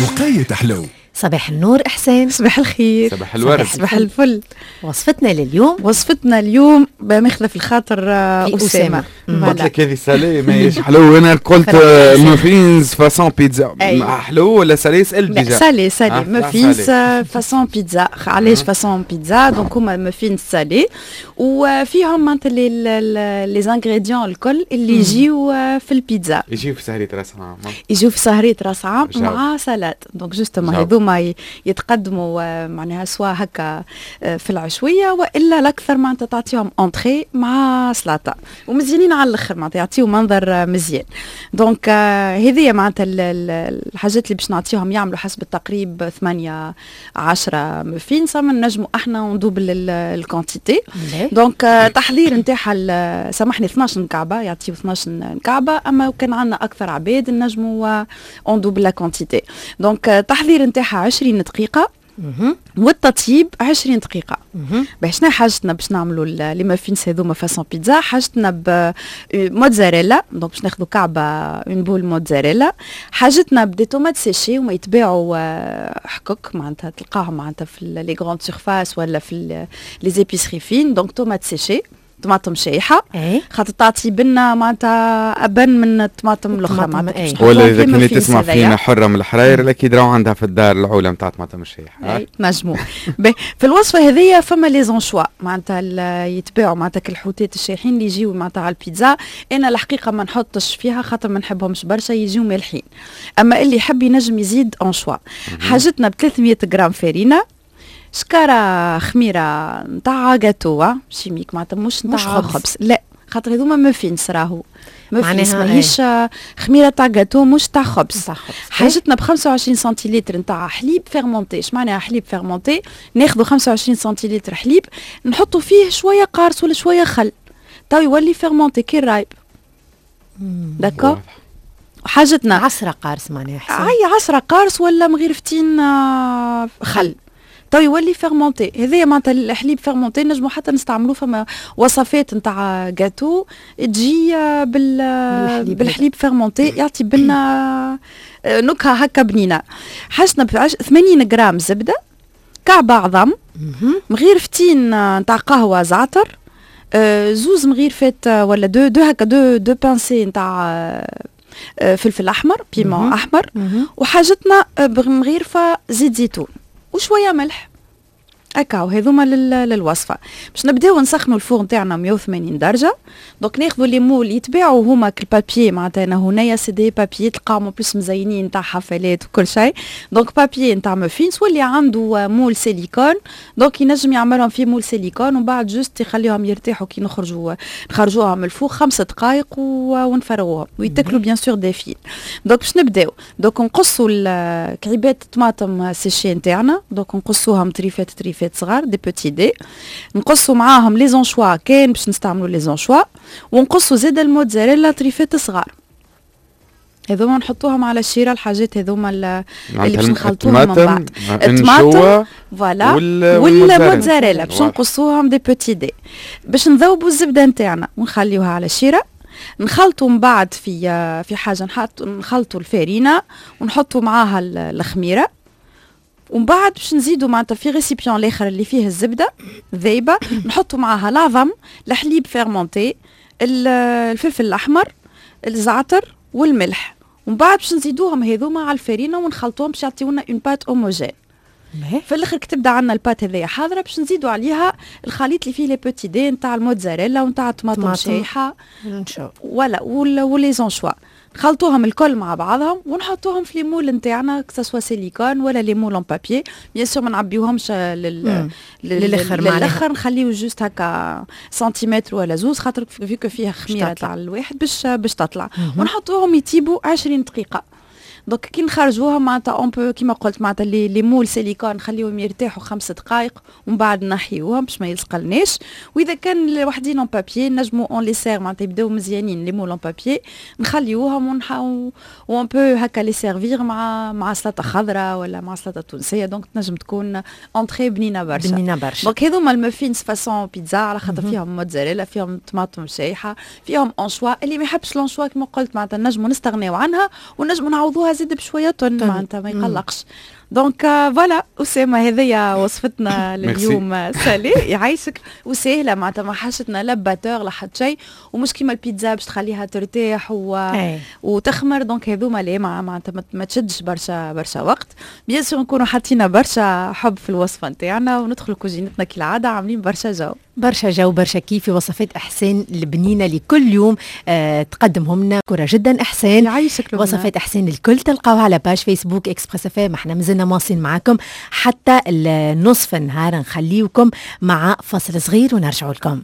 وقاية حلو. صباح النور إحسان. صباح الخير. صباح الورد. صباح الفل. وصفتنا لليوم، وصفتنا اليوم بمخلف في الخاطر أسامة. قلت لك هذه salé ماهيش حلو، أنا قلت muffins façon pizza، حلو ولا salé؟ سألت déjà. salé salé muffins façon pizza. علاش façon pizza؟ donc هما muffins salés وفيهم معناتها les ingrédients الكل اللي يجيو في البيتزا. يجيو في سهرية راس عام. يجيو في سهرية راس عام مع salade. donc justement هذوما يتقدموا معناها soit هكا في العشويه والا الاكثر معناتها تعطيهم entrée مع سلطة، ومزيانين على الاخر، معناتها يعطيو منظر مزيان. donc هذه معناتها الحاجات اللي باش نعطيهم يعملوا حسب التقريب 8 10 muffins، نجموا احنا ن double ال quantité. donc تحضير نتاعها، سامحني، 12 كعبه، يعطيو 12 كعبه، اما كان عندنا اكثر عباد نجموا on double la quantité. donc تحضير نتاعها 20 دقيقة والتطيب 20 دقيقة. باش شنو حاجتنا باش نعملوا les muffins هذوما façon pizza؟ حاجتنا بموتزاريلا، donc باش ناخذوا كعبة une boule mozzarella. حاجتنا ب des tomates séchées، وما يتباعوا حكك، معناتها تلقاهم معناتها في les grandes surfaces ولا في les épiceries fines. donc tomates séchées، طماطم شايحه، خاطر تعطي بنا معناتها ابن من الطماطم الاخرى. معناتها ولا اذا كانت تسمع فينا حره من الحراير، اكيد راهو عندها في الدار العوله نتاع طماطم الشايحه. اي نجمو. في الوصفة هذيا فما les anchois، معناتها يتباعوا معناتها الحوتات الشايحين اللي يجيو معناتها على البيتزا. انا الحقيقة ما نحطش فيها خاطر ما نحبهمش برشا، يجيو مالحين، اما اللي يحب ينجم يزيد anchois. حاجتنا ب 300 غرام فرينه، شكارة خميرة نتاع gâteau chimique، معناتها مش نتاع خبز، لا، خاطر هذوما موفينس، راهو موفينس ماهيش خميره تاع جاتو، مش تاع خبز. حاجتنا ب 25 سنتيلتر نتاع حليب fermenté. اش معناها حليب fermenté؟ ناخذوا 25 سنتيلتر حليب، نحطوا فيه شوية قارص ولا شوية خل، تو يولي fermenté كي الرايب، d'accord؟ حاجتنا عصرة قارص معناها؟ اي، عصرة قارص ولا مغيرفتين خل، تو يولي fermenté. هذايا معناتها الحليب fermenté نجمو حتى نستعملوه، فما وصفات نتاع جاتو تجي بالحليب fermenté، يعطي بنا نكهة هكا بنينه. حاجتنا 80 غرام زبده، كعبه عظم، مغيرفتين نتاع قهوة زعتر، زوز مغيرفات ولا deux deux هكا deux pincées نتاع فلفل احمر، piment احمر، وحاجتنا بمغيرفه زيت زيتون وشوية ملح. هكا هذوما للوصفه. باش نبداو نسخنوا ال four نتاعنا 180 درجه. donc ناخذوا les moules يتباعوا هما كال papier، معناتها انا هنايا c'est des papiers تلقاهم plus مزينين نتاع حفلات وكل شيء، donc papier نتاع موفينس، واللي عنده moule silicone donc ينجم يعملهم في moule silicone، ومن بعد juste يخليهم يرتاحوا كي نخرجوها من ال four 5 دقائق ونفرغوهم ويتاكلوا bien sûr دافين. donc باش نبداو، donc نقصوا كعيبات الطماطم séchées نتاعنا، donc نقصوهم تريفات تريفات صغار، des petits dés. نقصوا معاهم les anchois كان باش نستعملوا les anchois، ونقصوا زاد الموتزاريلا تريفات صغار. هذوما نحطوهم على الشيره، الحاجات هذوما اللي باش نخلطوهم من بعد. الطماطم voilà والموتزاريلا باش نقصوهم des petits dés. باش نذوبوا الزبدة نتاعنا ونخليوها على الشيره. نخلطوا من بعد في حاجه، نحط نخلطوا الفارينه ونحطوا معاها الخميره، ومن بعد باش نزيدوا معناتها في récipient الاخر اللي فيه الزبدة ذايبه نحطوا معاها العظم، الحليب fermenté، الفلفل الاحمر، الزعتر والملح، ومن بعد باش نزيدوهم هذوما على الفارينه ونخلطوهم باش يعطيونا une pâte homogène. في الاخر كتبدا عندنا ال pâte هذيا حاضره، باش نزيدوا عليها الخليط اللي فيه les petits dés نتاع الموتزاريلا ونتاع الطماطم شايحه ولا و les anchois. نخلطوهم الكل مع بعضهم ونحطوهم في les moules نتاعنا، que ce soit silicone ولا les moules en papier. bien sûr ما نعبيوهمش للاخر. للاخر، نخليو juste هكا سنتيمتر ولا زوز، خاطر vu que فيها خميره تاع الواحد باش تطلع، ونحطوهم يطيبوا 20 دقيقه. donc كي نخرجوها معناتها on peut كيما قلت معناتها les moules silicone نخليهم يرتاحوا 5 دقائق ومن بعد نحيوهم باش ما يلصقلناش. واذا كان وحدين en papier نجمو on les sert، معناتها يبداو مزيانين les moules en papier، نخليوهم و on peut هكا les servir مع سلطة خضراء ولا مع سلطة تونسيه. donc تنجم تكون entrée بنينه برشا. بنينه برشا. donc هذوما ال muffins façon pizza على خاطر فيهم موتزاريلا، فيهم طماطم شايحه، فيهم anchois. اللي ما يحبش l'anchois كما قلت معناتها نجمو نستغنيو عنها ونجمو نعوضوها. زيد بشوية تن، معناتها ما يقلقش. donc voilà اسامه، هذيا وصفتنا لليوم salée. يعيشك. وسهلة معناتها، ما حاجتنا لا batteur لا حتى شيء، ومش كيما البيتزا باش تخليها ترتاح وتخمر. donc هذوما لا، معناتها ما تشدش برشا برشا وقت. bien sûr نكونوا حاطين برشا حب في الوصفة نتاعنا وندخلوا كوجينتنا كالعادة عاملين برشا جو. برشا جو، برشا كيف في وصفات احسان البنينه لكل يوم تقدمهم لنا. مشكورة جدا احسان. يعيشك. وصفات احسان الكل تلقاوها على page Facebook Express FM. احنا مازلنا مواصلين معاكم حتى النصف النهار، نخليوكم مع فاصل صغير ونرجعوا لكم.